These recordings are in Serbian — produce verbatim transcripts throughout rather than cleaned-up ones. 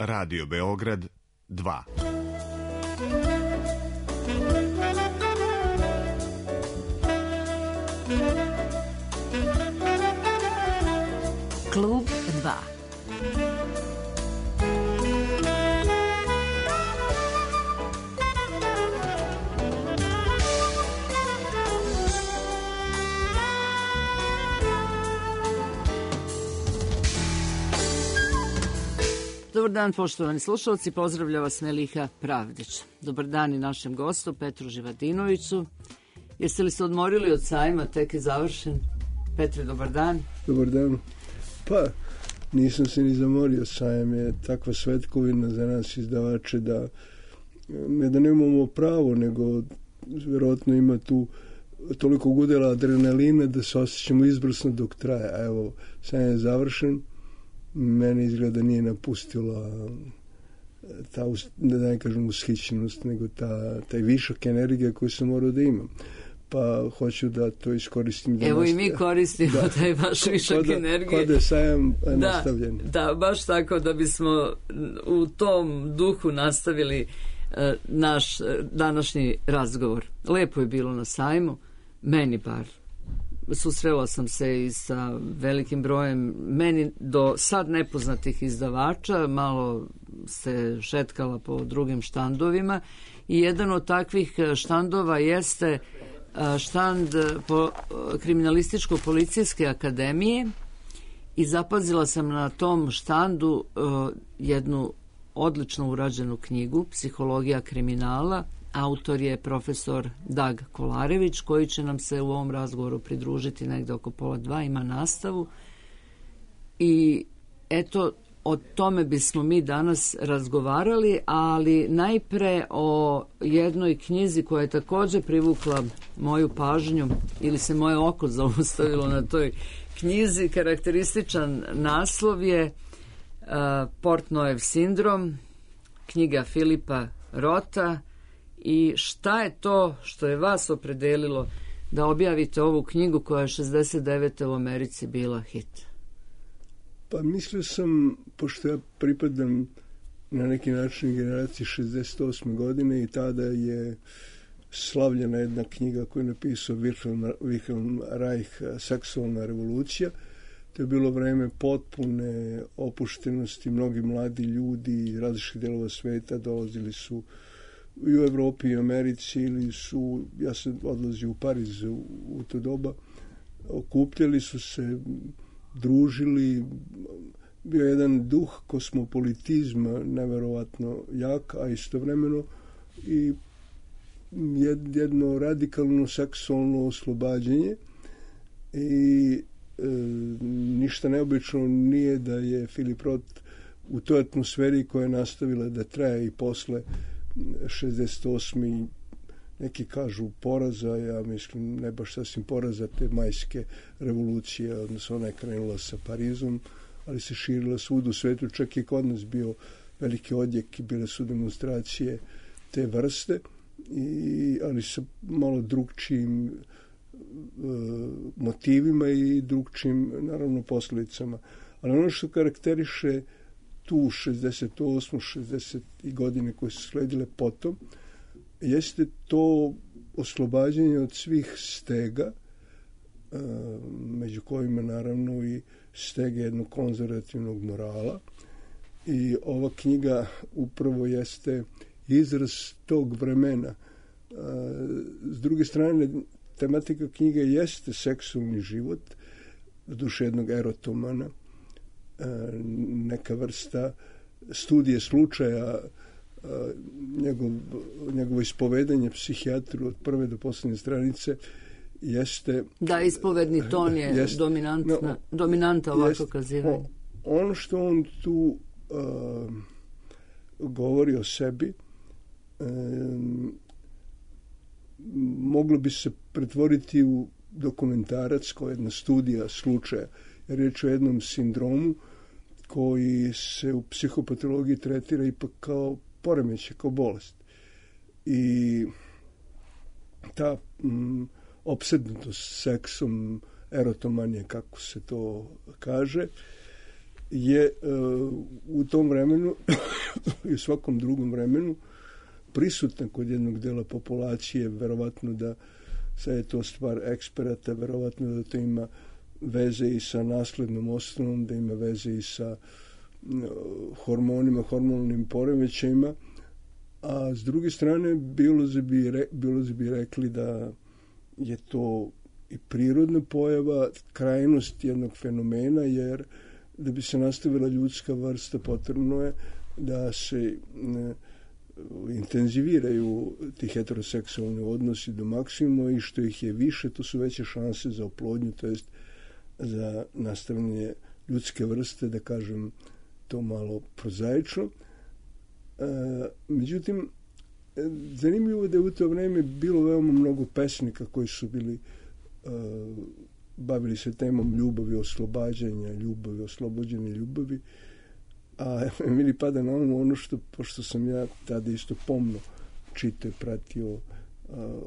Radio Beograd dva. Klub dva. Dobar dan, poštovani slušalci, pozdravlja vas Meliha Pravdić. Dobar dan i našem gostu Petru Živadinoviću. Jeste li se odmorili od sajma, tek je završen? Petre, dobar dan. Dobar dan. Pa, nisam se ni zamorio, sajam je takva svetkovina za nas izdavače da ne da nemamo pravo, nego vjerojatno ima tu toliko gudela adrenalina da se osjećamo izvrsno dok traje. A evo, sajam je završen. Mene izgleda nije napustila ta, ne da ne kažem ushićenost, nego ta, taj višak energije koju sam morao da imam. Pa hoću da to iskoristim. Da Evo nastavim. I mi koristimo da, taj vaš višak kod, energije. Kod je sajam da, nastavljen. Da, baš tako da bismo u tom duhu nastavili uh, naš uh, današnji razgovor. Lepo je bilo na sajmu, meni bar. Susrela sam se i sa velikim brojem meni do sad nepoznatih izdavača, malo se šetkala po drugim štandovima i jedan od takvih štandova jeste štand po Kriminalističko-policijske akademije i zapazila sam na tom štandu jednu odlično urađenu knjigu Psihologija kriminala. Autor je profesor Dag Kolarević, koji će nam se u ovom razgovoru pridružiti negde oko pola dva, ima nastavu. I eto, o tome bismo mi danas razgovarali, ali najpre o jednoj knjizi koja je također privukla moju pažnju, ili se moje oko zaustavilo na toj knjizi. Karakterističan naslov je uh, Portnojev sindrom, knjiga Filipa Rota. I šta je to što je vas opredelilo da objavite ovu knjigu koja je šezdeset devete u Americi bila hit? Pa mislio sam, pošto ja pripadam na neki način generaciji šezdeset osme godine i tada je slavljena jedna knjiga koju je napisao Wilhelm, Wilhelm Reich, Seksualna revolucija. To je bilo vreme potpune opuštenosti, mnogi mladi ljudi iz različitih delova sveta dolazili su i u Evropi i Americi, ili su, ja sam odlazio u Pariz u, u to doba, okupljali su se, družili, bio jedan duh kosmopolitizma neverovatno jak, a istovremeno i jedno radikalno seksualno oslobađanje i e, ništa neobično nije da je Filip Roth u toj atmosferi koja je nastavila da traje i posle šezdeset osme neki kažu poraza, ja mislim ne baš sasvim poraza te majske revolucije, odnosno ona je krenula sa Parizom, ali se širila svud u svetu, čak i kod nas bio veliki odjek i bile su demonstracije te vrste, i, ali sa malo drugčijim e, motivima i drugčijim naravno posljedicama. Ali ono što karakteriše tu šezdeset osme šezdeset godine koje su sledile potom, jeste to oslobađanje od svih stega, među kojima naravno i stege jednog konzervativnog morala. I ova knjiga upravo jeste izraz tog vremena. S druge strane, tematika knjige jeste seksualni život, duše jednog erotomana, neka vrsta studije slučaja, njegov, njegovo ispovedanje psihijatru od prve do posljednje stranice jeste... Da, ispovedni ton je jest, dominantna, no, dominanta ovako kazivanja. Ono što on tu uh, govori o sebi um, moglo bi se pretvoriti u dokumentarac kao jedna studija slučaja. Riječ o jednom sindromu koji se u psihopatologiji tretira ipak kao poremećaj, kao bolest. I ta mm, opsednutost seksom, erotomanije, kako se to kaže, je uh, u tom vremenu i u svakom drugom vremenu prisutna kod jednog dela populacije, verovatno da sad je to stvar eksperata, verovatno da to ima veze i sa naslednom osnovom, da ima veze i sa uh, hormonima, hormonalnim poremećajima, a s druge strane biolozi bi, re, biolozi bi rekli da je to i prirodna pojava, krajnost jednog fenomena, jer da bi se nastavila ljudska vrsta potrebno je da se ne, intenziviraju ti heteroseksualni odnosi do maksimuma i što ih je više, to su veće šanse za oplodnju, to jest za nastavljanje ljudske vrste, da kažem to malo prozaično. E, međutim, zanimljivo je da je u to vreme bilo veoma mnogo pesnika koji su bili uh, bavili se temom ljubavi, oslobađanja ljubavi, oslobođene ljubavi, a meni pada na umu ono što, pošto sam ja tada isto pomno čitao i pratio uh,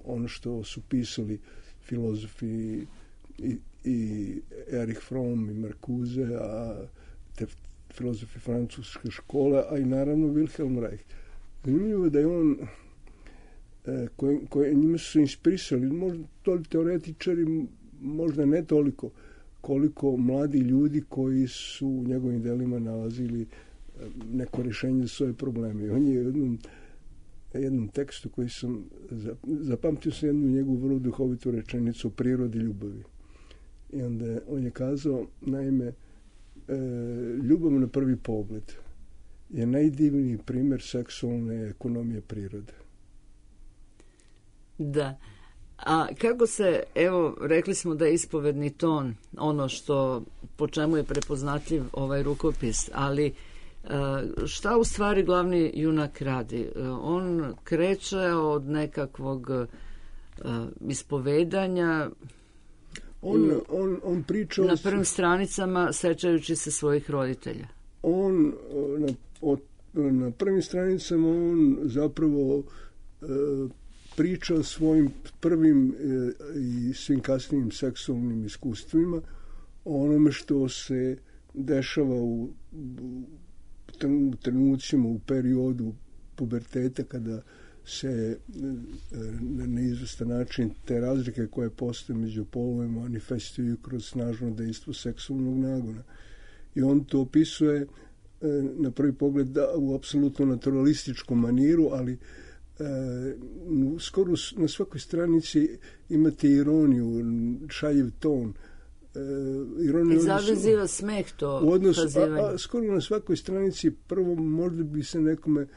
ono što su pisali filozofi i, i Erich Fromm i Marcuse, a te filozofi francuske škole, a i naravno Wilhelm Reich. Zanimljivo da je on koje, koje njima su inspirisali, možda to teoretičari, možda ne toliko, koliko mladi ljudi koji su u njegovim delima nalazili neko rješenje za svoje probleme. On je u jednom, jednom tekstu koji sam zapamtio sam jednu njegovu vrlo duhovitu rečenicu o prirodi ljubavi. I onda on je kazao, naime, ljubav na prvi pogled je najdivniji primjer seksualne ekonomije prirode. Da. A kako se, evo, rekli smo da je ispovedni ton ono što, po čemu je prepoznatljiv ovaj rukopis, ali šta u stvari glavni junak radi? On kreće od nekakvog ispovedanja, on, on, on priča na prvim stranicama sećajući se svojih roditelja. On na, od, na prvim stranicama on zapravo e, priča o svojim prvim e, i svim kasnijim seksualnim iskustvima, o onome što se dešava u, u trenucima, u periodu puberteta, kada se na neizvestan način te razlike koje postoje među polovima manifestuju kroz snažno dejstvo seksualnog nagona. I on to opisuje na prvi pogled da, u apsolutno naturalističkom maniru, ali e, skoro na svakoj stranici imate ironiju, šaljiv ton. E, ironiju, I zaveziva smeh to odnos, kazivanje. A, a skoro na svakoj stranici prvo možda bi se nekome e,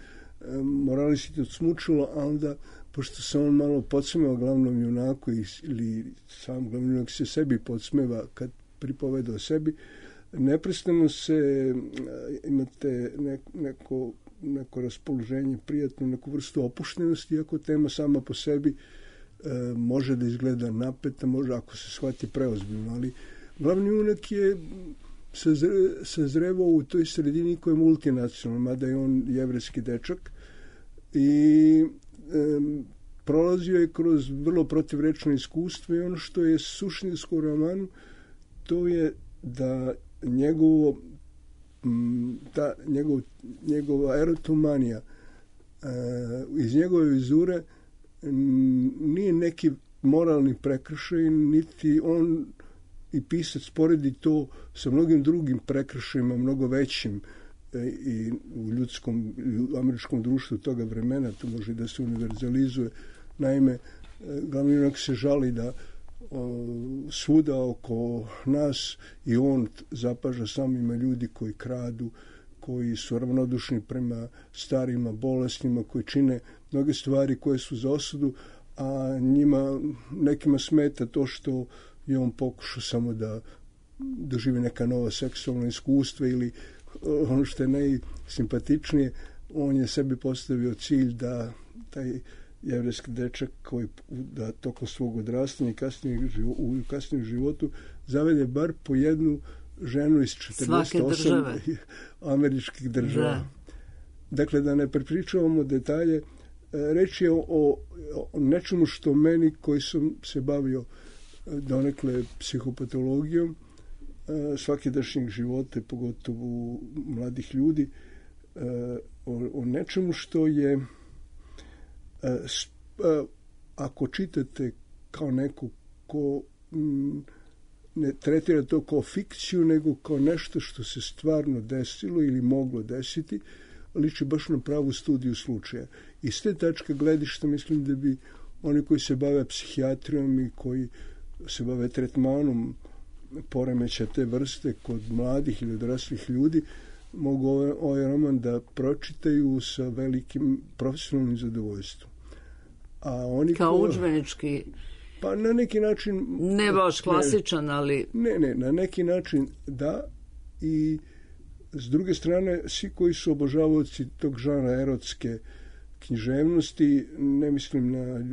moralisti odsmučilo, a onda, pošto se on malo podsmeva glavnom junaku ili sam glavni junak se sebi podsmeva kad pripoveda o sebi, neprestano se imate neko, neko raspoloženje prijatno, neku vrstu opuštenosti, iako tema sama po sebi e, može da izgleda napeta, može ako se shvati preozbiljno, ali glavni junak je sazre, sazrevao u toj sredini koja je multinacionalna, mada je on jevrejski dečak i e, prolazio je kroz vrlo protivrečno iskustvo i ono što je suštinsko u romanu, to je da njegovo ta njegov, njegova erotomanija e, iz njegove vizure nije neki moralni prekršaj, niti on i pisac poredi to sa mnogim drugim prekršajima, mnogo većim e, i u ljudskom, u američkom društvu toga vremena, to može da se univerzalizuje. Naime, e, glavni junak se žali da svuda oko nas i on zapaža samo ima ljudi koji kradu, koji su ravnodušni prema starima, bolesnima, koji čine mnoge stvari koje su za osudu, a njima nekima smeta to što je on pokušao samo da doživi neka nova seksualna iskustva ili ono što je najsimpatičnije, on je sebi postavio cilj da taj jevrejski dečak koji da tokom svog odrastanja i kasnijeg, u kasnijem životu zavede bar po jednu ženu iz četrdeset osam američkih država. Da. Dakle, da ne prepričavamo detalje, reč je o, o nečemu što meni, koji sam se bavio donekle psihopatologijom, svakidašnjeg života, pogotovo mladih ljudi, o, o nečemu što je, ako čitate kao neko ko ne tretira to kao fikciju, nego kao nešto što se stvarno desilo ili moglo desiti, liči baš na pravu studiju slučaja. I s te tačke gledišta mislim da bi oni koji se bave psihijatrijom i koji se bave tretmanom poremeća te vrste kod mladih ili odraslih ljudi mogu ovaj, ovaj roman da pročitaju sa velikim profesionalnim zadovoljstvom. A oni kao ko, udžbenički, pa na neki način ne baš klasičan, ne, ali ne, ne, na neki način da. I s druge strane, svi koji su obožavaoci tog žanra erotske književnosti, ne mislim na,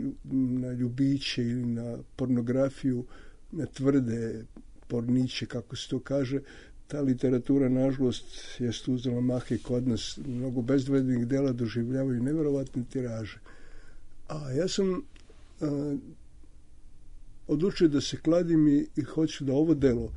na ljubiće ili na pornografiju, na tvrde porniće, kako se to kaže, ta literatura, nažalost, jest uzela maha i kod nas. Mnogo bezdvednih dela doživljavaju neverovatne tiraže. A ja sam a, odlučio da se kladim i, i hoću da ovo delo,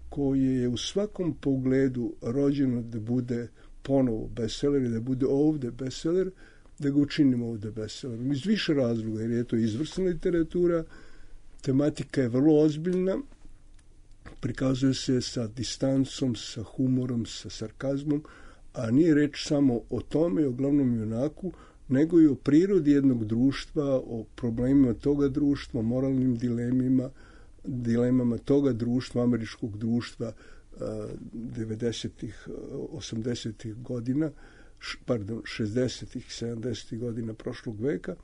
koje je u svakom pogledu rođeno da bude ponovo bestseller i da bude ovde bestseller, da ga učinimo ovde bestsellerom. Iz više razloga, jer je to izvrsna literatura, tematika je vrlo ozbiljna, prikazuje se sa distancom, sa humorom, sa sarkazmom, a nije reč samo o tome i o glavnom junaku, nego i o prirodi jednog društva, o problemima toga društva, o moralnim dilemima, dilemama toga društva, američkog društva devedesetih, osamdesetih godina, pardon, šezdesetih, sedamdesetih godina prošlog veka,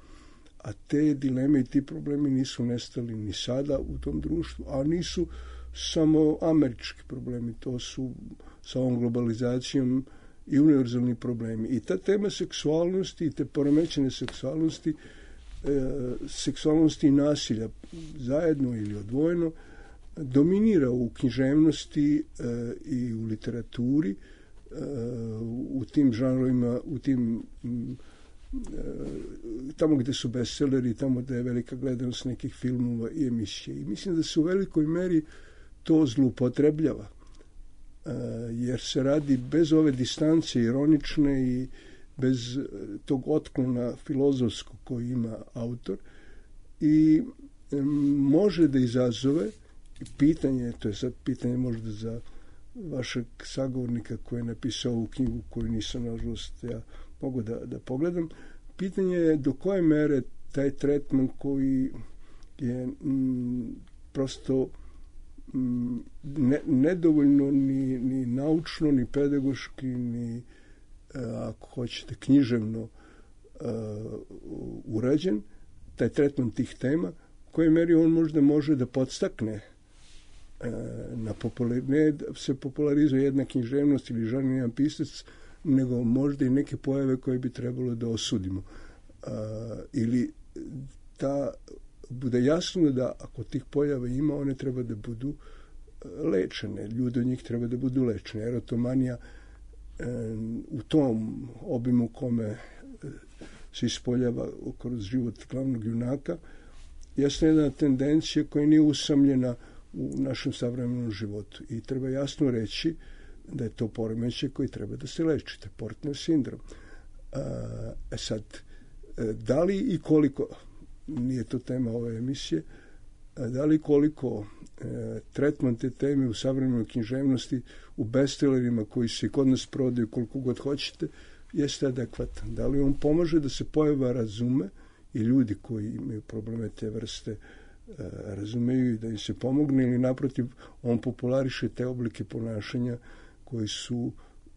a te dileme i ti problemi nisu nestali ni sada u tom društvu, a nisu samo američki problemi, to su sa ovom globalizacijom i univerzalni problemi. I ta tema seksualnosti i te poremećene seksualnosti, e, seksualnosti i nasilja zajedno ili odvojeno dominira u književnosti e, i u literaturi, e, u tim žanrovima, u tim e, tamo gde su bestselleri, tamo gde je velika gledanost nekih filmova i emisije. I mislim da se u velikoj meri to zloupotrebljava, jer se radi bez ove distance ironične i bez tog otklona filozofskog koji ima autor i može da izazove pitanje, to je sad pitanje možda za vašeg sagovornika koji je napisao ovu knjigu koju nisam, nažalost, ja mogu da, da pogledam. Pitanje je do koje mere taj tretman koji je m, prosto Ne, nedovoljno ni, ni naučno, ni pedagoški, ni ako hoćete književno uh, urađen, taj tretman tih tema, u kojoj meri on možda može da podstakne uh, na popular, ne da se popularizuje jedna književnost ili žarni jedan pisac, nego možda i neke pojave koje bi trebalo da osudimo. Uh, ili ta bude jasno da ako tih pojava ima, one treba da budu lečene. Ljudi od njih treba da budu lečene. Erotomanija e, u tom obimu kome se ispoljava kroz život glavnog junaka jeste jedna tendencija koja nije usamljena u našem savremenom životu. I treba jasno reći da je to poremećaj koji treba da se leči. To je Portner sindrom. E sad, da li i koliko, nije to tema ove emisije, da li koliko e, tretman te teme u savremenoj književnosti u bestsellerima koji se kod nas prodaju koliko god hoćete jeste adekvatan. Da li on pomaže da se pojava razume i ljudi koji imaju probleme te vrste e, razumeju i da im se pomogne, ili naprotiv on populariše te oblike ponašanja koji su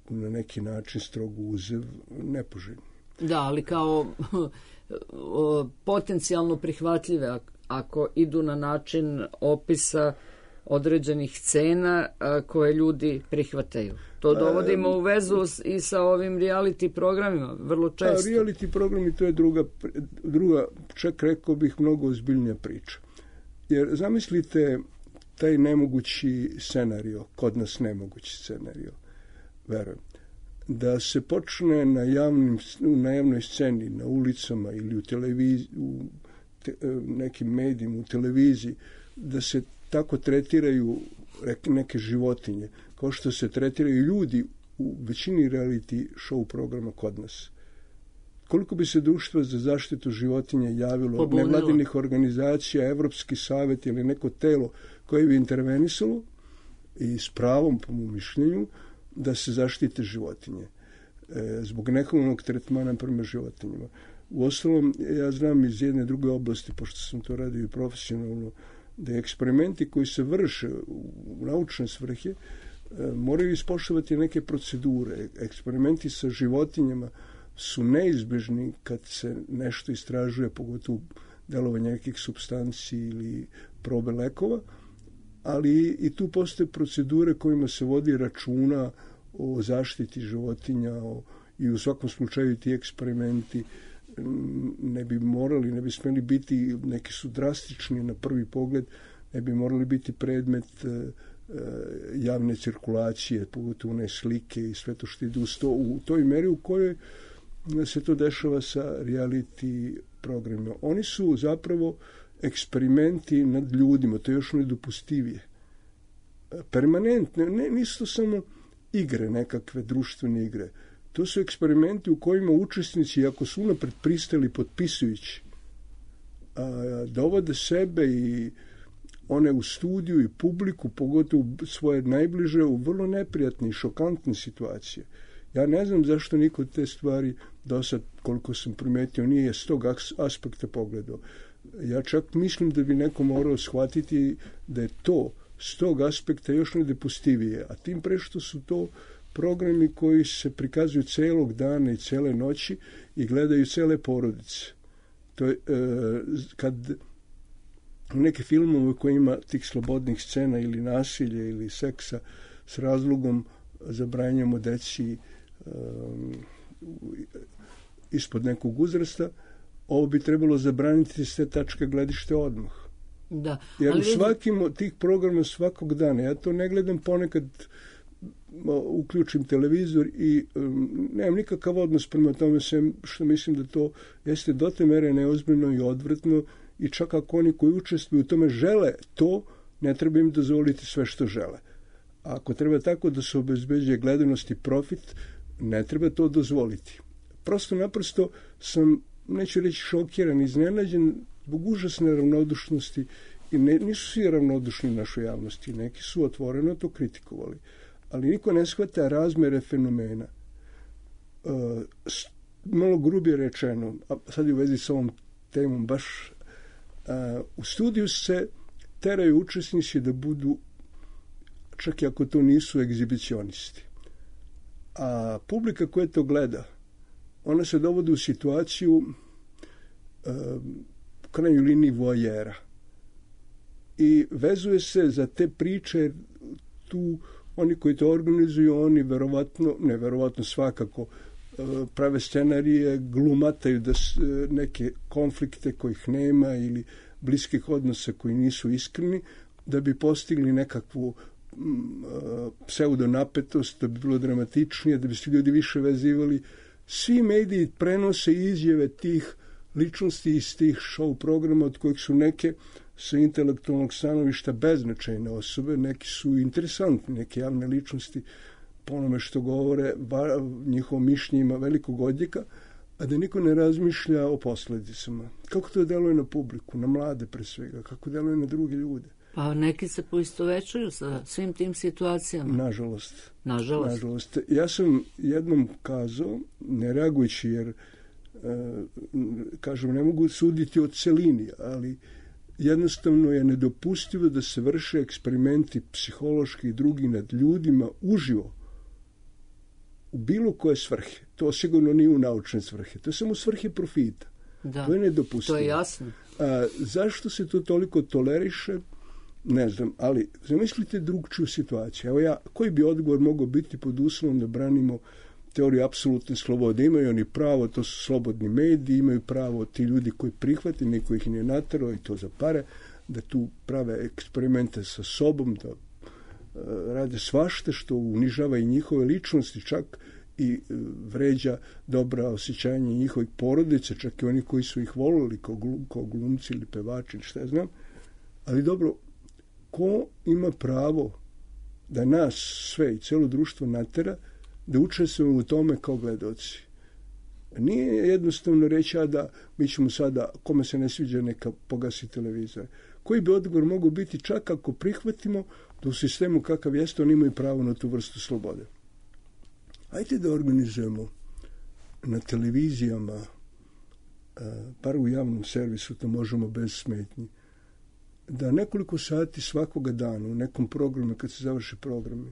na neki način strogo uzev nepoželjni. Da, ali kao potencijalno prihvatljive ako idu na način opisa određenih scena koje ljudi prihvataju. To dovodimo u vezu i sa ovim reality programima, vrlo često. A reality programi, to je druga, druga, čak rekao bih, mnogo ozbiljnija priča. Jer zamislite taj nemogući scenario, kod nas nemogući scenario, verujem, da se počne na, javnim, na javnoj sceni, na ulicama ili u televiziji, u te, nekim medijima, u televiziji, da se tako tretiraju neke životinje, kao što se tretiraju ljudi u većini reality show programa kod nas. Koliko bi se društvo za zaštitu životinja javilo, Pobunilo. nevladinih organizacija, Evropski savjet ili neko telo koje bi intervenisalo i s pravom, po mom mišljenju, da se zaštite životinje e, zbog nehumanog tretmana prema životinjama. Uostalom, ja znam iz jedne druge oblasti, pošto sam to radio i profesionalno, da eksperimenti koji se vrše u naučne svrhe e, moraju ispoštovati neke procedure. Eksperimenti sa životinjama su neizbežni kad se nešto istražuje, pogotovo delovanje nekih supstanci ili probe lekova, ali i tu postoje procedure kojima se vodi računa o zaštiti životinja o, i u svakom slučaju ti eksperimenti ne bi morali, ne bi smeli biti, neki su drastični na prvi pogled, ne bi morali biti predmet e, javne cirkulacije, pogotovo one slike i sve to što ide uz to, u toj meri u kojoj se to dešava sa reality programima. Oni su zapravo eksperimenti nad ljudima, to je još nedopustivije. Permanentne, ne, nisu to samo igre, nekakve društvene igre. To su eksperimenti u kojima učesnici, ako su unapred pristali potpisujući, a, dovode sebe i one u studiju i publiku, pogotovo svoje najbliže, u vrlo neprijatne i šokantne situacije. Ja ne znam zašto niko te stvari do sad, koliko sam primetio, nije s tog aspekta pogledao. Ja čak mislim da bi neko morao shvatiti da je to s tog aspekta još nedopustivije, a tim pre što su to programi koji se prikazuju celog dana i cele noći i gledaju cele porodice. To je, e, kad neke filmove koji ima tih slobodnih scena ili nasilja ili seksa s razlogom zabranjamo deci um, ispod nekog uzrasta, ovo bi trebalo zabraniti s te tačke gledište odmah. Da, jer ali u svakim od tih programa svakog dana, ja to ne gledam, ponekad uključim televizor i um, nemam nikakav odnos prema tome, sem što mislim da to jeste do te mere neozbiljno i odvratno i čak ako oni koji učestvuju u tome žele to, ne treba im dozvoliti sve što žele. A ako treba tako da se obezbeđuje gledanost i profit, ne treba to dozvoliti. Prosto naprosto sam, neću reći šokiran, iznenađen zbog užasne ravnodušnosti i ne, nisu svi ravnodušni u našoj javnosti, neki su otvoreno to kritikovali, ali niko ne shvata razmere fenomena. E, malo grubije rečeno, a sad je u vezi s ovom temom baš, a, u studiju se teraju učesnici da budu, čak i ako to nisu egzibicionisti. A publika koja to gleda, ona se dovodi u situaciju e, u krajnjoj liniji voajera. I vezuje se za te priče, tu oni koji to organizuju, oni verovatno, ne verovatno svakako, prave scenarije, glumataju da neke konflikte kojih nema ili bliskih odnosa koji nisu iskreni, da bi postigli nekakvu pseudonapetost, da bi bilo dramatičnije, da bi se ljudi više vezivali. Svi mediji prenose izjave tih ličnosti iz tih show programa, od kojih su neke sa intelektualnog stanovišta beznačajne osobe, neki su interesantni, neke javne ličnosti po onome što govore, njihovo mišljenje ima velikog odjeka, a da niko ne razmišlja o posledicama. Kako to deluje na publiku, na mlade pre svega, kako deluje na druge ljude. Pa neki se poistovećuju sa svim tim situacijama. Nažalost. Nažalost. Nažalost. Ja sam jednom kazao, ne reagujući jer, e, kažem, ne mogu suditi o celini, ali jednostavno je nedopustivo da se vrše eksperimenti psihološki i drugi nad ljudima uživo u bilo koje svrhe. To sigurno nije u naučne svrhe. To je samo u svrhe profita. Da, to je nedopustivo. to je jasno. A, zašto se to toliko toleriše? Ne znam, ali zamislite drugčiju situaciju. Evo ja, koji bi odgovor mogao biti pod uslovom da branimo teoriju apsolutne slobode? Imaju oni pravo, to su slobodni mediji, imaju pravo ti ljudi koji prihvati, niko ih nije naterao i to za pare, da tu prave eksperimente sa sobom, da uh, rade svašta što unižava i njihove ličnosti, čak i uh, vređa dobra osjećanja njihovih porodica, čak i oni koji su ih volili kao, glum, kao glumci ili pevači, šta ja znam. Ali dobro, ko ima pravo da nas sve i cijelo društvo natera da učestvujemo u tome kao gledaoci. Nije jednostavno reći a da mi ćemo sada, kome se ne sviđa neka pogasi televizor. Koji bi odgovor mogu biti čak ako prihvatimo da u sistemu kakav jeste oni imaju pravo na tu vrstu slobode. Ajde da organizujemo na televizijama, bar u javnom servisu, to možemo bez smetnji, da nekoliko sati svakoga dana u nekom programu, kad se završe programi,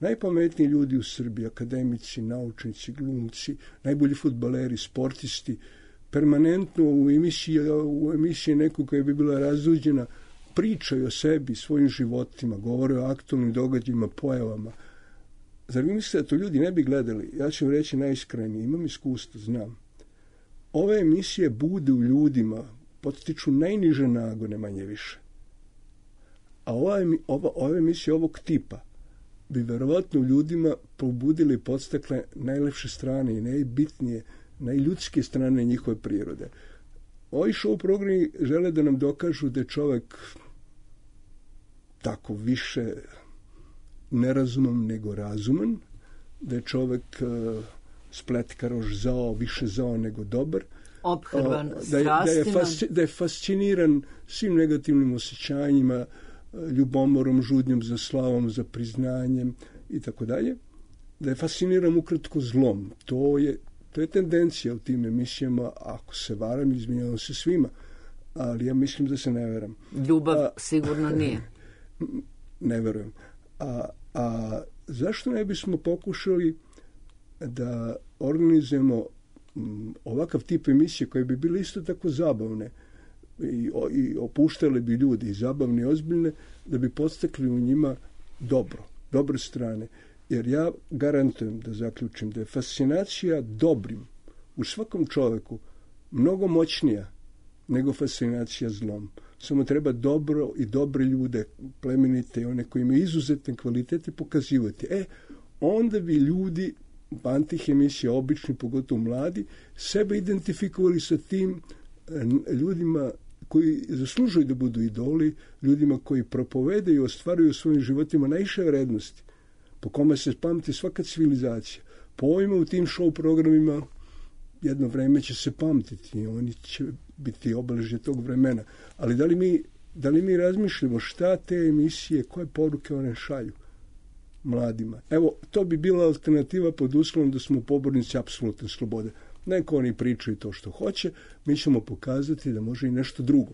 najpametniji ljudi u Srbiji, akademici, naučnici, glumci, najbolji fudbaleri, sportisti, permanentno u emisiji, u emisiji nekog koja bi bila razuđena, pričaju o sebi, svojim životima, govore o aktualnim događajima, pojavama. Zar vi mislite da to ljudi ne bi gledali? Ja ću reći najiskrenije, imam iskustvo, znam. Ove emisije bude u ljudima, potiču najniže nagone, manje više. A ova, ova, ove emisije ovog tipa bi verovatno u ljudima probudili i podstakle najlepše strane i najbitnije, najljudske strane njihove prirode. Ovi show programi žele da nam dokažu da je čovjek tako više nerazuman nego razuman, da je čovjek uh, spletkaroš zao, više zao nego dobar, ophrvan uh, da, je, da, je fasci, da je fasciniran svim negativnim osjećanjima, ljubomorom, žudnjom za slavom, za priznanjem i tako dalje, da je fasciniran ukratko zlom. To je, to je tendencija u tim emisijama, ako se varam, izvinjavam se svima, ali ja mislim da se ne veram. Ljubav a, sigurno nije. Ne verujem. A, a zašto ne bismo pokušali da organizujemo ovakav tip emisije koje bi bile isto tako zabavne i, i opuštale bi ljudi i zabavne i ozbiljne, da bi podstakli u njima dobro, dobre strane. Jer ja garantujem da zaključim da je fascinacija dobrim u svakom čovjeku mnogo moćnija nego fascinacija zlom. Samo treba dobro i dobre ljude, plemenite i one koji imaju izuzetne kvalitete pokazivati. E, onda bi ljudi, antih emisija, obični, pogotovo mladi, sebe identifikovali sa tim ljudima koji zaslužuju da budu idoli, ljudima koji propovedaju i ostvaruju u svojim životima najviše vrednosti, po kome se pamti svaka civilizacija. Po ovima u tim show programima jedno vreme će se pamtiti i oni će biti obeležje tog vremena. Ali da li mi, da li mi razmišljamo šta te emisije, koje poruke one šalju mladima? Evo, to bi bila alternativa pod uslovom da smo pobornici apsolutne slobode. Neko oni pričaju to što hoće, mi ćemo pokazati da može i nešto drugo.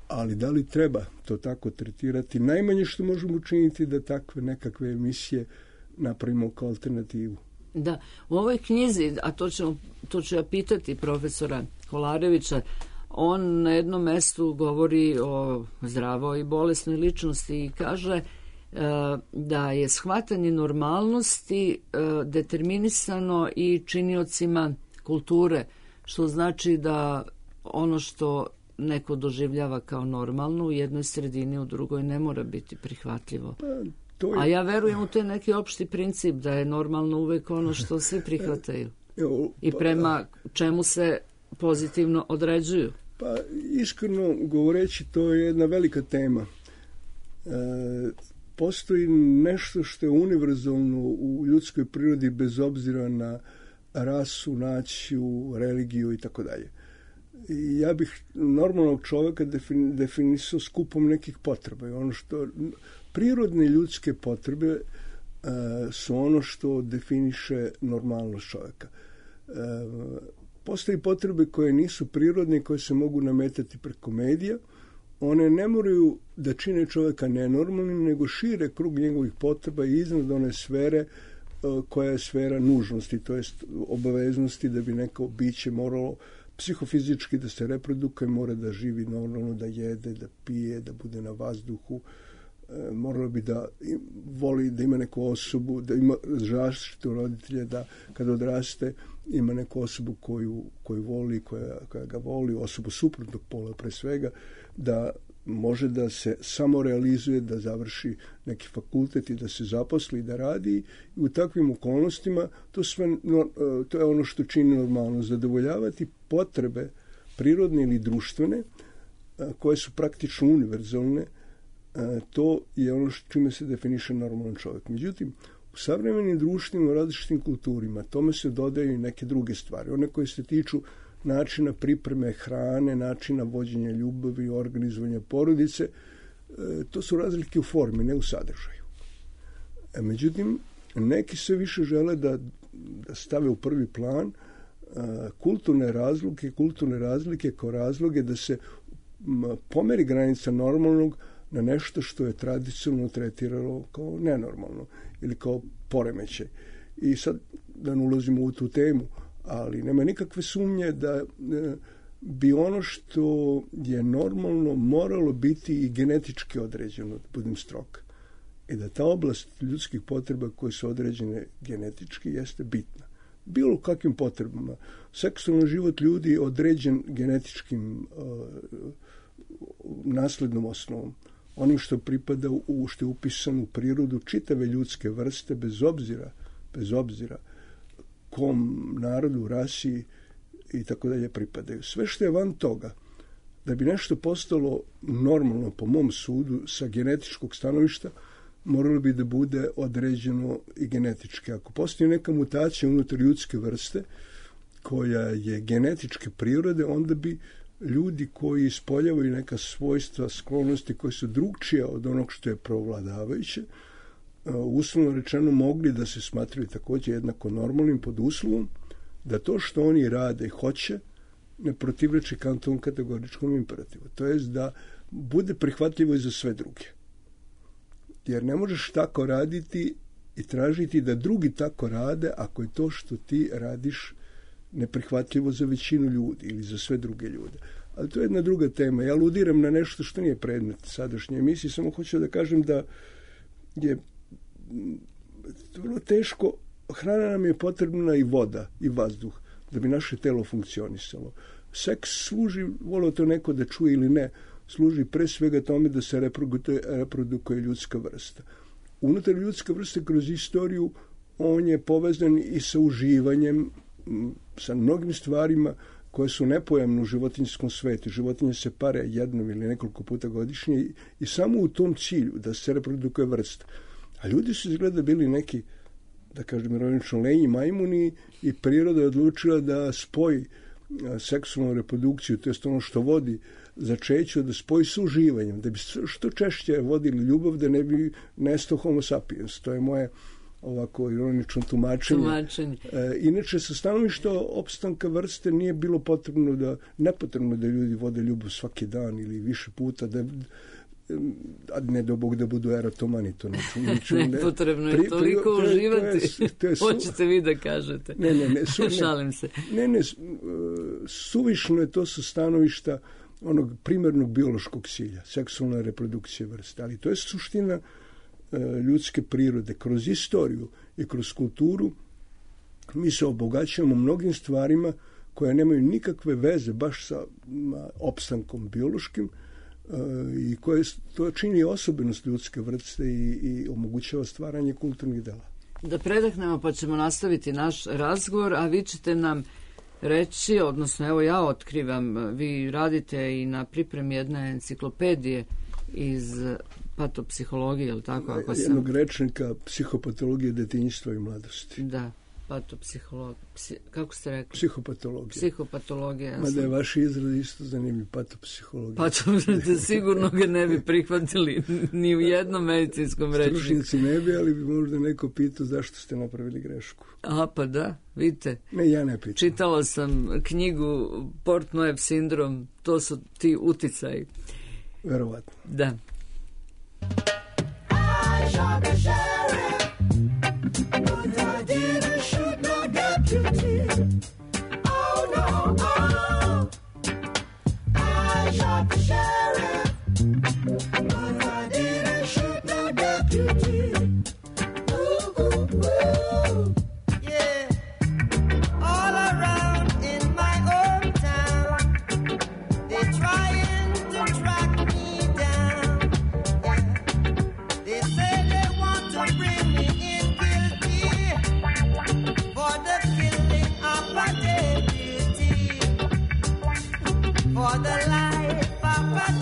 Ali da li treba to tako tretirati? Najmanje što možemo učiniti da takve nekakve emisije napravimo kao alternativu. Da, u ovoj knjizi, a to, ćemo, to ću ja pitati profesora Kolarevića, on na jednom mestu govori o zdravoj i bolesnoj ličnosti i kaže e, da je shvatanje normalnosti e, determinisano i činiocima kulture, što znači da ono što neko doživljava kao normalno u jednoj sredini, u drugoj ne mora biti prihvatljivo. Pa, to je... A ja verujem u taj neki opšti princip da je normalno uvek ono što svi prihvataju i prema čemu se pozitivno određuju. Pa iskreno govoreći, to je jedna velika tema. E, postoji nešto što je univerzalno u ljudskoj prirodi bez obzira na rasu, naciju, religiju i tako dalje. I ja bih normalnog čovjeka defin, definisao skupom nekih potreba. I ono što prirodne ljudske potrebe uh, su ono što definiše normalnost čovjeka. Uh, postoji potrebe koje nisu prirodne, koje se mogu nametati preko medija. One ne moraju da čine čovjeka nenormalnim, nego šire krug njegovih potreba i iznad one sfere uh, koja je sfera nužnosti, to jest obaveznosti da bi neko biće moralo psihofizički da se reprodukuje, mora da živi normalno, da jede, da pije, da bude na vazduhu, e, moralo bi da voli, da ima neku osobu, da ima zaštitu roditelja, da kada odraste ima neku osobu koju, koju voli, koja, koja ga voli, osobu suprotnog pola pre svega, da može da se samorealizuje, da završi neki fakultet i da se zaposli, da radi. I u takvim okolnostima to, sve, no, to je ono što čini normalno, zadovoljavati potrebe prirodne ili društvene, koje su praktično univerzalne, to je ono čime se definiše normalan čovjek. Međutim, u savremenim društvima, u različitim kulturima, tome se dodaju i neke druge stvari. One koje se tiču načina pripreme hrane, načina vođenja ljubavi, organizovanja porodice, to su razlike u formi, ne u sadržaju. Međutim, neki se više žele da, da stave u prvi plan kulturne razlike, kulturne razlike kao razloge da se pomeri granica normalnog na nešto što je tradicionalno tretiralo kao nenormalno ili kao poremećaj. I sad da ne ulazimo u tu temu, ali nema nikakve sumnje da bi ono što je normalno moralo biti i genetički određeno, da budem strog. I da ta oblast ljudskih potreba koje su određene genetički jeste bitna. Bilo kakvim potrebama. Seksualni život ljudi je određen genetičkim uh, naslednom osnovom. Onim što pripada u, što je upisano u prirodu čitave ljudske vrste, bez obzira, bez obzira kom narodu, rasi i tako dalje pripadaju. Sve što je van toga, da bi nešto postalo normalno po mom sudu sa genetičkog stanovišta, moralo bi da bude određeno i genetički. Ako postoji neka mutacija unutar ljudske vrste koja je genetičke prirode, onda bi ljudi koji ispoljavaju neka svojstva, sklonosti koje su drugčije od onog što je provladavajuće, uslovno rečeno mogli da se smatraju također jednako normalnim pod uslovom da to što oni rade i hoće ne protivreči Kantovom kategoričkom imperativu. To jest da bude prihvatljivo i za sve druge. Jer ne možeš tako raditi i tražiti da drugi tako rade ako je to što ti radiš neprihvatljivo za većinu ljudi ili za sve druge ljude. Ali to je jedna druga tema. Ja aludiram na nešto što nije predmet sadašnje emisije, samo hoću da kažem da je vrlo teško, hrana nam je potrebna i voda i vazduh da bi naše telo funkcionisalo. Seks služi, volio to neko da čuje ili ne, služi pre svega tome da se reprodukuje, reprodukuje ljudska vrsta. Unutar ljudske vrste kroz istoriju on je povezan i sa uživanjem, sa mnogim stvarima koje su nepojamne u životinjskom svetu. Životinje se pare jednom ili nekoliko puta godišnje i, i samo u tom cilju da se reprodukuje vrsta. A ljudi su izgleda bili neki, da kažem ironično, lenji majmuni i priroda je odlučila da spoji seksualnu reprodukciju, to je ono što vodi začeću, da spoji sa uživanjem, da bi što češće vodili ljubav, da ne bi nestao homo sapiens. To je moje ovako ironično tumačenje. tumačenje. E, inače, sa stanovišta opstanka vrste nije bilo potrebno da, nepotrebno da ljudi vode ljubav svaki dan ili više puta, da a ne do Bog da budu eratomani, to neću. neću ne, Nepotrebno je pri, toliko pri, uživati. To je, to je su... Hoćete vi da kažete. Ne, ne, ne. Su, ne Šalim se. Ne, ne, suvišno je to sa stanovišta onog primarnog biološkog cilja, seksualna reprodukcija vrste. Ali to je suština ljudske prirode. Kroz istoriju i kroz kulturu mi se obogaćujemo mnogim stvarima koje nemaju nikakve veze baš sa opstankom biološkim i koje to čini osobenost ljudske vrste i, i omogućava stvaranje kulturnih dela. Da predahnemo pa ćemo nastaviti naš razgovor, a vi ćete nam reći, odnosno evo ja otkrivam, vi radite i na pripremi jedne enciklopedije iz patopsihologije, je li tako? Ako sam... Jednog rečnika psihopatologije detinjstva i mladosti. Da, patopsihologija. Psi... Kako ste rekli? Psihopatologija. Psihopatologija. Ja Mada sam... je vaš izraz isto zanimljiv, patopsihologija. Patopsihologija, sigurno ga ne bi prihvatili ni u jednom medicinskom rečniku. Stručnjaci ne bi, ali bi možda neko pitao zašto ste napravili grešku. A pa da, vidite. Ne, ja ne pitam. Čitala sam knjigu Portnojev sindrom, to su ti uticaji. Verovatno. Da. I shot the sheriff, but I didn't shoot no deputy. Oh no, oh. I shot the sheriff, but I didn't shoot no deputy. Ooh, ooh, ooh. Yeah. All around in my hometown, they're trying to track me down. Yeah. They say they want to bring me in guilty for the killing of a deputy, for the life of a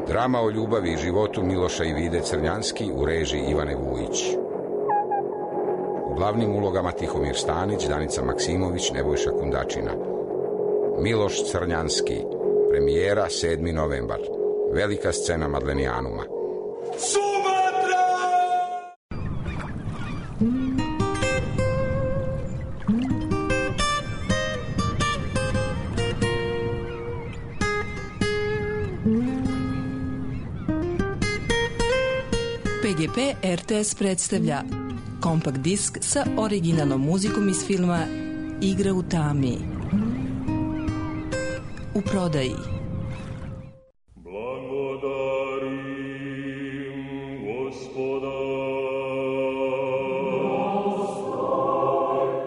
Drama o ljubavi i životu Miloša i Vide Crnjanski u režiji Ivane Vujić. U glavnim ulogama Tihomir Stanić, Danica Maksimović, Nebojša Kundačina. Miloš Crnjanski, premijera sedmi novembar. Velika scena Madlenijanuma. Sumatra! P G P R T S predstavlja kompakt disk sa originalnom muzikom iz filma Igra u tami. U prodaji.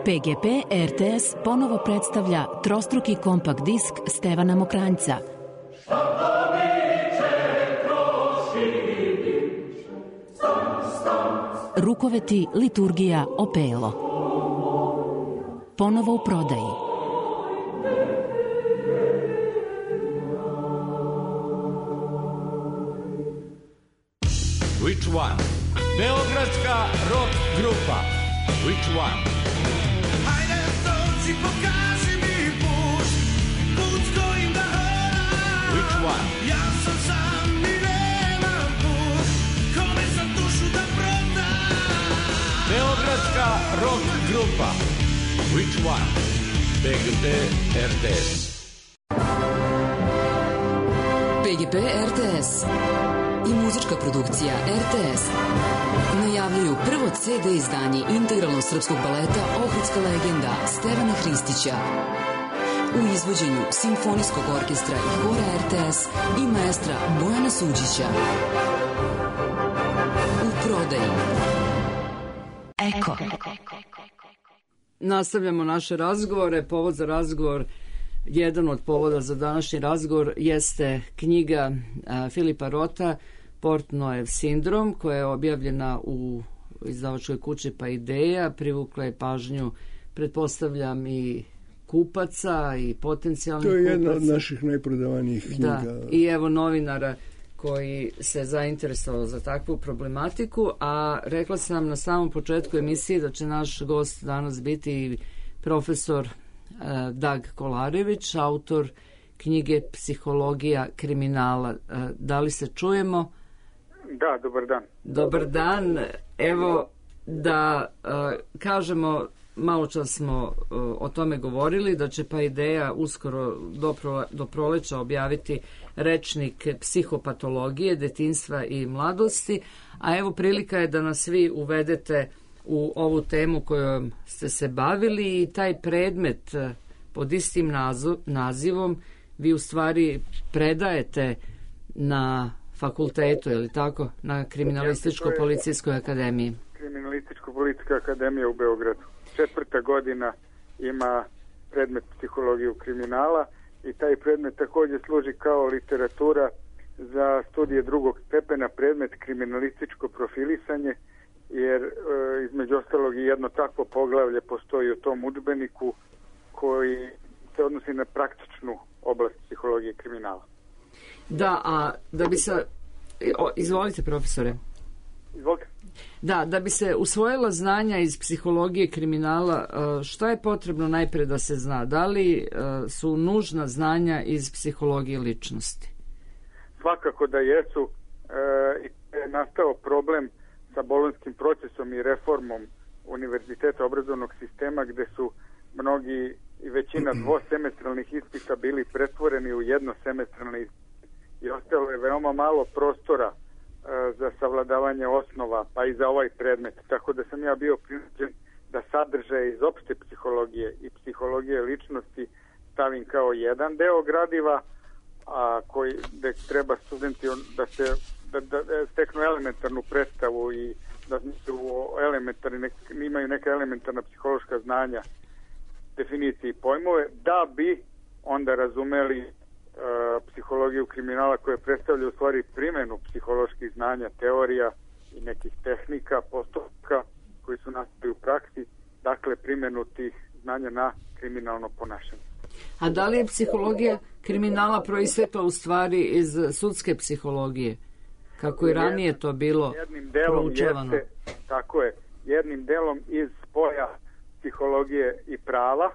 P G P R T S ponovo predstavlja trostruki kompakt disk Stevana Mokranjca. Rukoveti, liturgija, opelo. Ponovo u prodaji. Which one? Beogradska rock grupa. Which one? Hajde, dođi, pokaži mi put, put kojim da hodam. Which one? Ja sam sam i nemam put, kome sam dušu da prodam. Beogradska rock grupa. Which one? P G P R T S. P G P R T S i muzička produkcija R T S najavljuju prvo C D izdanje integralnog srpskog baleta Ohridska legenda Stevana Hristića u izvođenju Simfonijskog orkestra i hora R T S i maestra Bojana Suđića. U prodaji. Eko. Nastavljamo naše razgovore. Povod za razgovor, jedan od povoda za današnji razgovor jeste knjiga a, Filipa Rota Portnojev sindrom, koja je objavljena u izdavačkoj kući Pa Ideja. Privukla je pažnju, pretpostavljam, i kupaca i potencijalnih kupaca. To je jedna od naših najprodavanijih knjiga. Da, i evo novinara koji se zainteresovao za takvu problematiku, a rekla sam na samom početku emisije da će naš gost danas biti profesor uh, Dag Kolarević, autor knjige Psihologija kriminala. Uh, da li se čujemo? Da, dobar dan. Dobar dan. Evo da uh, kažemo, malo čas smo uh, o tome govorili, da će pa ideja uskoro do, pro, do proleća objaviti rečnik psihopatologije, detinjstva i mladosti, a evo prilika je da nas vi uvedete u ovu temu kojom ste se bavili i taj predmet uh, pod istim nazo, nazivom vi u stvari predajete na fakultetu, je li tako, na Kriminalističko-policijskoj akademiji. Kriminalističko-policijska akademija u Beogradu. Četvrta godina ima predmet psihologiju kriminala i taj predmet također služi kao literatura za studije drugog stepena, predmet kriminalističko profilisanje, jer e, između ostalog i jedno takvo poglavlje postoji u tom udžbeniku koji se odnosi na praktičnu oblast psihologije kriminala. Da, a da bi se... O, izvolite, profesore. Izvolite. Da, da bi se usvojila znanja iz psihologije kriminala, šta je potrebno najpre da se zna? Da li su nužna znanja iz psihologije ličnosti? Svakako da jesu. E, je nastao problem sa bolonjskim procesom i reformom univerziteta obrazovnog sistema, gde su mnogi i većina dvosemestralnih ispita bili pretvoreni u jednosemestralne ispite. I ostalo je veoma malo prostora e, za savladavanje osnova, pa i za ovaj predmet. Tako da sam ja bio prinuđen da sadržaje iz opšte psihologije i psihologije ličnosti stavim kao jedan deo gradiva, a koji gde treba studenti da se da, da steknu elementarnu predstavu i da su elementarni, nek, imaju neka elementarna psihološka znanja, definicije i pojmove, da bi onda razumeli psihologiju kriminala koja predstavlja u stvari primjenu psiholoških znanja, teorija i nekih tehnika, postupka koji su nastali u praksi, dakle primjenu tih znanja na kriminalno ponašanje. A da li je psihologija kriminala proistekla u stvari iz sudske psihologije, kako i ranije to bilo jednim delom proučavano? Jeste, tako je, jednim delom iz spoja psihologije i prava,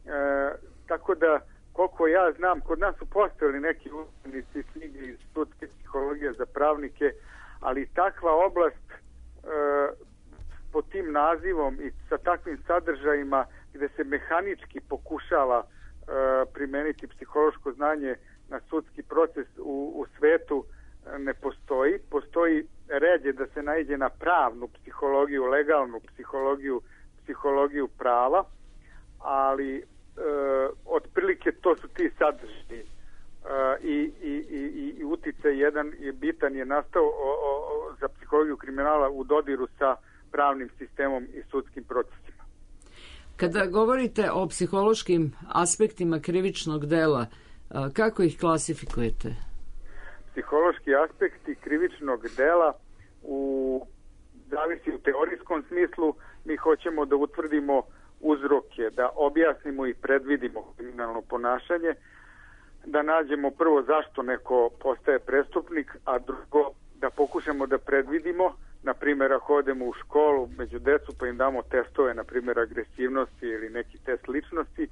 e, tako da koliko ja znam, kod nas su postojali neki učenici knjige iz sudske psihologije za pravnike, ali takva oblast e, pod tim nazivom i sa takvim sadržajima gde se mehanički pokušava e, primeniti psihološko znanje na sudski proces u, u svetu e, ne postoji. Postoji ređe da se naiđe na pravnu psihologiju, legalnu psihologiju, psihologiju prava, ali Uh, otprilike to su ti sadržaji uh, i, i, i, i uticaj jedan je bitan je nastao o, o, za psihologiju kriminala u dodiru sa pravnim sistemom i sudskim procesima. Kada govorite o psihološkim aspektima krivičnog dela, uh, kako ih klasifikujete? Psihološki aspekti krivičnog dela u zavisi u teorijskom smislu, mi hoćemo da utvrdimo uzroke, da objasnimo i predvidimo kriminalno ponašanje, da nađemo prvo zašto neko postaje prestupnik, a drugo da pokušamo da predvidimo, na primjer ako odemo u školu među decu pa im damo testove, na primjer agresivnosti ili neki test ličnosti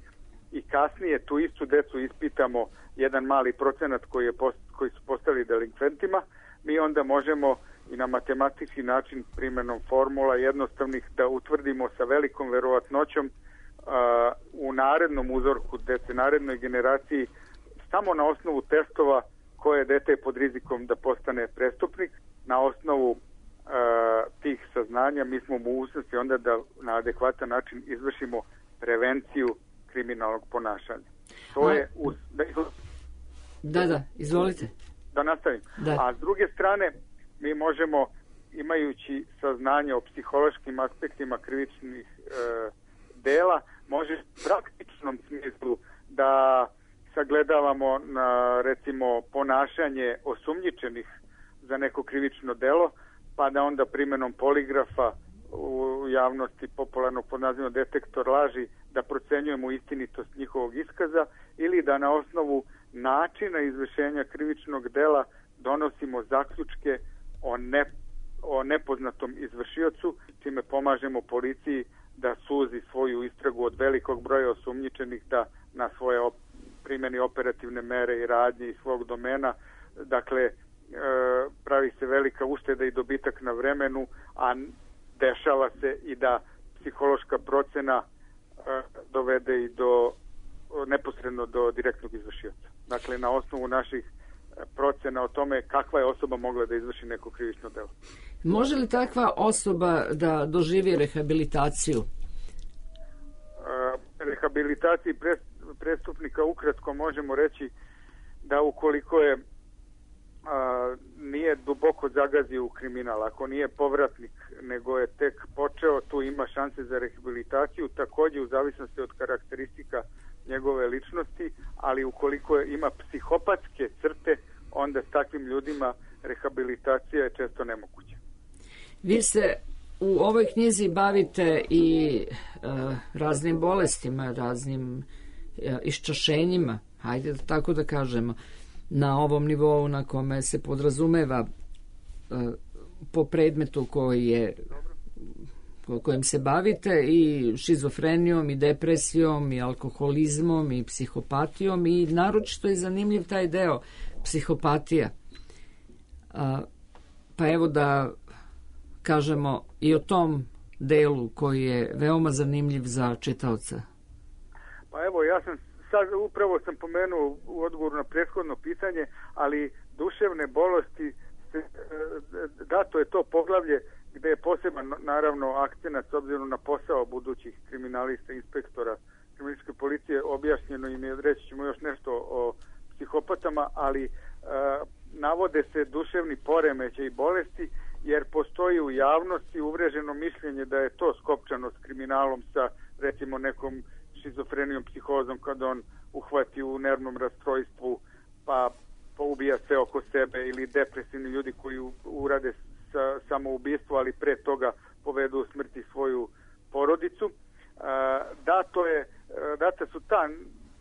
i kasnije tu istu decu ispitamo jedan mali procenat koji, je post, koji su postali delinkventima, mi onda možemo i na matematički način primjenom formula jednostavnih da utvrdimo sa velikom verovatnoćom uh, u narednom uzorku dece, narednoj generaciji, samo na osnovu testova koje dete je pod rizikom da postane prestupnik. Na osnovu uh, tih saznanja mi smo u mogućnosti onda da na adekvatan način izvršimo prevenciju kriminalnog ponašanja. To A... je uz... da, da, da, izvolite. Da nastavim. Da. A s druge strane, mi možemo, imajući saznanje o psihološkim aspektima krivičnih e, dela, može u praktičnom smislu da sagledavamo na, recimo, ponašanje osumnjičenih za neko krivično delo, pa da onda primjenom poligrafa u javnosti popularno pod nazivom detektor laži da procenjujemo istinitost njihovog iskaza ili da na osnovu načina izvršenja krivičnog dela donosimo zaključke o, ne, o nepoznatom izvršiocu, čime pomažemo policiji da suzi svoju istragu od velikog broja osumnjičenih, da na svoje op primjeni operativne mere i radnje iz svog domena. Dakle, e, pravi se velika ušteda i dobitak na vremenu, a dešava se i da psihološka procena e, dovede i do neposredno do direktnog izvršioca. Dakle, na osnovu naših procena o tome kakva je osoba mogla da izvrši neko krivično delo. Može li takva osoba da doživi rehabilitaciju? E, rehabilitaciji prestupnika ukratko možemo reći da ukoliko je a, nije duboko zagazio u kriminal, ako nije povratnik, nego je tek počeo, tu ima šanse za rehabilitaciju, također u zavisnosti od karakteristika njegove ličnosti, ali ukoliko je, ima psihopatske crte, onda s takvim ljudima rehabilitacija je često nemoguća. Vi se u ovoj knjizi bavite i e, raznim bolestima, raznim e, iščašenjima, hajde tako da kažemo, na ovom nivou na kome se podrazumeva e, po predmetu koji je po kojem se bavite, i šizofrenijom i depresijom i alkoholizmom i psihopatijom, i naročito je zanimljiv taj deo psihopatija. A, pa evo da kažemo i o tom delu koji je veoma zanimljiv za čitaoca. Pa evo, ja sam sad upravo sam pomenuo u odgovoru na prethodno pitanje, ali duševne bolesti, dato je to poglavlje gde je poseban, naravno, akcenat s obzirom na posao budućih kriminalista, inspektora kriminalističke policije, objašnjeno im je, reći ćemo još nešto o psihopatama, ali e, navode se duševni poremećaj i bolesti, jer postoji u javnosti uvreženo mišljenje da je to skopčano s kriminalom, sa recimo nekom šizofrenijom, psihozom, kad on uhvati u nervnom rastrojstvu pa poubija sve oko sebe, ili depresivni ljudi koji urade sa, samoubistvo, ali pre toga povedu u smrti svoju porodicu. Dato je, date su ta,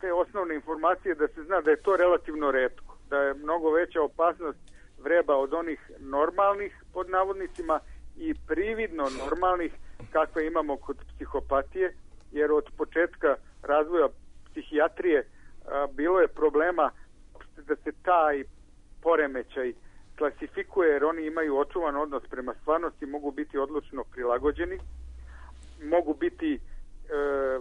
te osnovne informacije da se zna da je to relativno retko, da je mnogo veća opasnost vreba od onih normalnih, pod navodnicima, i prividno normalnih kakve imamo kod psihopatije, jer od početka razvoja psihijatrije a, bilo je problema da se taj poremećaj klasifikuje, jer oni imaju očuvan odnos prema stvarnosti, mogu biti odlučno prilagođeni, mogu biti e,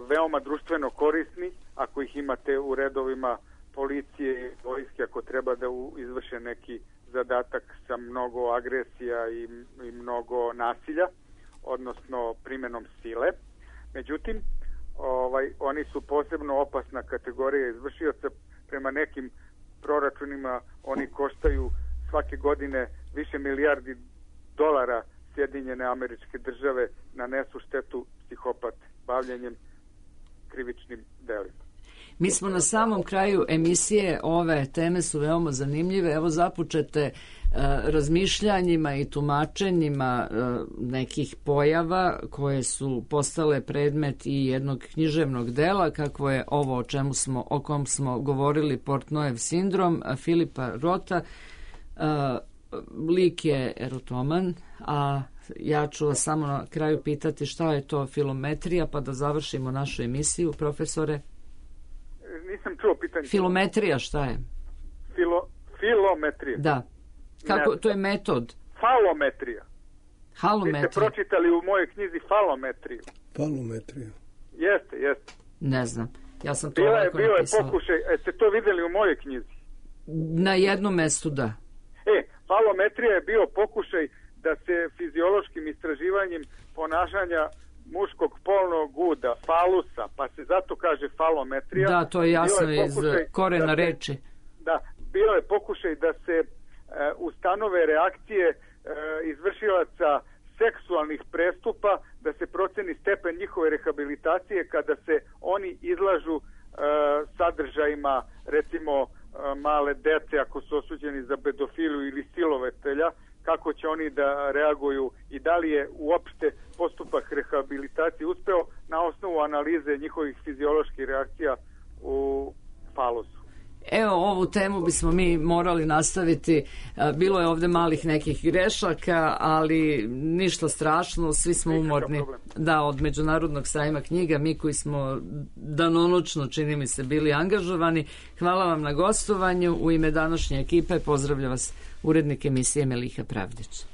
veoma društveno korisni ako ih imate u redovima policije i vojske, ako treba da u, izvrše neki zadatak sa mnogo agresija i, i mnogo nasilja, odnosno primjenom sile. Međutim, ovaj, oni su posebno opasna kategorija izvršioca. Prema nekim proračunima oni koštaju svake godine više milijardi dolara Sjedinjene Američke Države, nanesu štetu psihopat bavljenjem krivičnim delima. Mi smo na samom kraju emisije, ove teme su veoma zanimljive. Evo započete e, razmišljanjima i tumačenjima e, nekih pojava koje su postale predmet i jednog književnog dela, kakvo je ovo o čemu smo, o kom smo govorili, Portnojev sindrom Filipa Rota. E, lik je erotoman, a ja ću vas samo na kraju pitati šta je to filometrija, pa da završimo našu emisiju, profesore. Nisam čuo pitanje. Filometrija šta je? Filo, filometrija? Da. Kako, to je metod? Falometrija. Halometrija. Vi ste pročitali u mojoj knjizi falometriju. Falometrija. Jeste, jeste. Ne znam. Ja sam to Bila je, ovako bio napisala. je pokušaj, jeste to vidjeli u mojoj knjizi? Na jednom mestu, da. E, falometrija je bio pokušaj da se fiziološkim istraživanjem ponašanja muškog polnog uda, falusa, pa se zato kaže falometrija. Da, to je jasno je iz korena da se, reči. Da, bio je pokušaj da se e, ustanove reakcije e, izvršilaca seksualnih prestupa, da se proceni stepen njihove rehabilitacije kada se oni izlažu e, sadržajima, recimo e, male dece ako su osuđeni za pedofiliju ili silovatelja, kako će oni da reaguju i da li je uopšte postupak rehabilitacije uspeo na osnovu analize njihovih fizioloških reakcija u falusu. Evo, ovu temu bismo mi morali nastaviti. Bilo je ovde malih nekih grešaka, ali ništa strašno, svi smo umorni. Da, od Međunarodnog sajma knjiga, mi koji smo danonoćno, čini mi se, bili angažovani. Hvala vam na gostovanju. U ime današnje ekipe pozdravlja vas urednik emisije Meliha Pravdić.